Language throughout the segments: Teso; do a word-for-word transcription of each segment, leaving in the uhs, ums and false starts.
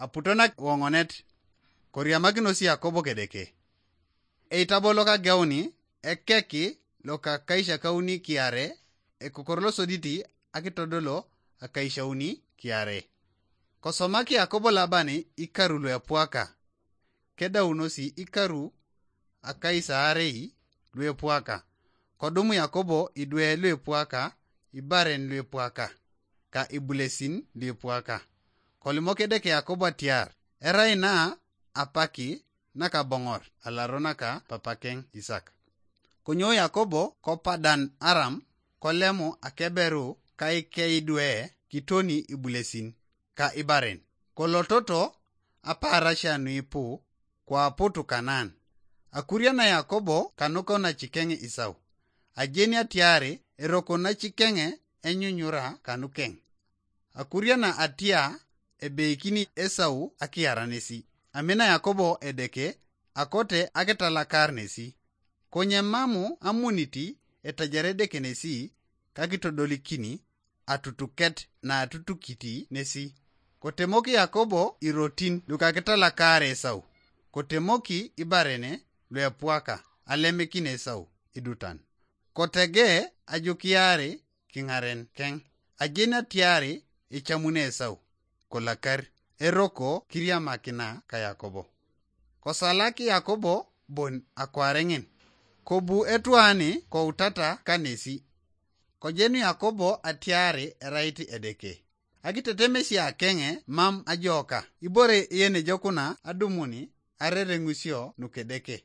Aputonak woŋonet, koriamakinos Yakobo kedeke. Eitabo lokageuni ekeki lokakaishakauni kiare, ekokor losoditi akitodolo akaishauni kiare. Kosomaki Yakobo Laban ikaru luepwaka, kedaunosi ikaru akaisaarei luepwaka. Kodumu Yakobo idwe luepwaka, ibaren luepwaka, ka ibulesin luepwaka. Kolimok Edeke Yakobo atiar, erai na apaki nakaboŋor alaro naka papakeŋ Isak. Konyo Yakobo ko Padan Aram, kolemu akeberu kaikeidwe kitoni ibulesin ka ibaren. Kolototo apaarasia nuipu, kwaputu Kanaan. Akuriana Yakobo kanuko nacikeŋ Isau. Ajeni atiari eroko nacikeŋ enyunyura kanukeŋ. Akuriana atia ebeikini Esau akiara nesi. Amina Yakobo Edeke, akote akitalakar nesi. Konye mamu amuniti etajare Edeke nesi, kakitodolikini atutuket na atutukiti nesi. Kotemoki Yakobo irotin lukakitalakar Esau. Kotemoki ibarene luepwaka alemikin Esau idutan. Kotege ajukiari kiŋaren keŋ. Ajeni atiari ecamuni Esau, kolakar, eroko kiriamakina ka Yakobo. Kosalak Yakobo bon akwareŋin, kobu etwani koutata kanesi. Kojenu Yakobo atiari erait Edeke. Akitetemesia keŋe mam ajoka, ibore yenejokuna adumuni arereŋusio nukedeke.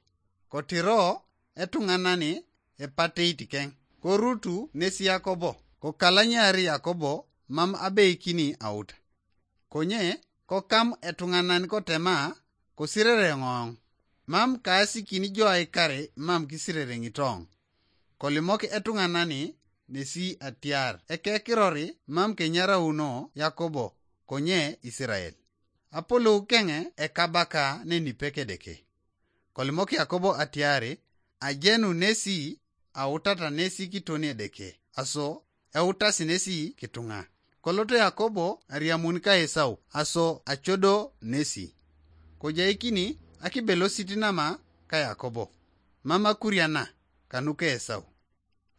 Kotiro etuŋanani epateit keŋ, korutu nesi Yakobo, kokalanyari Yakobo mam abeikini auta. Konye kokam etuŋanan kotema, kosirere ŋoŋ, mam kaasikini jo aikare mam kisirere ŋitoŋ. Kolimok etuŋanani nesi atiar ekekirori mam kenyarauno Yakobo konye Isirael. Apolou keŋe ekabaka nenipe Kedeke. Kolimok Yakobo atiari ajenu nesi autata nesi kitoni Edeke, aso eutasi nesi kituŋa. Koloto Yakobo ariamun ka Esau, aso acodo nesi. Kojaikini akibelosit nama ka Yakobo, mam akuriana kanuka Esau.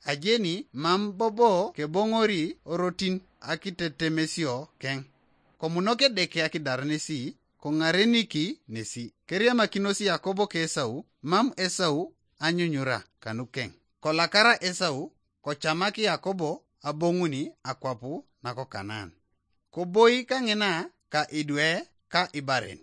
Ajeni mam bobo keboŋori orotin akitetemesio keŋ. Komunok Edeke akidar nesi, koŋareniki nesi. Keriamakinos Yakobo ka Esau, mam Esau anyunyura kanukeŋ. Kolakara Esau, kocamak Yakobo aboŋuni akwap nako Kanaan. Koboi kaŋina ka idwe ka ibaren.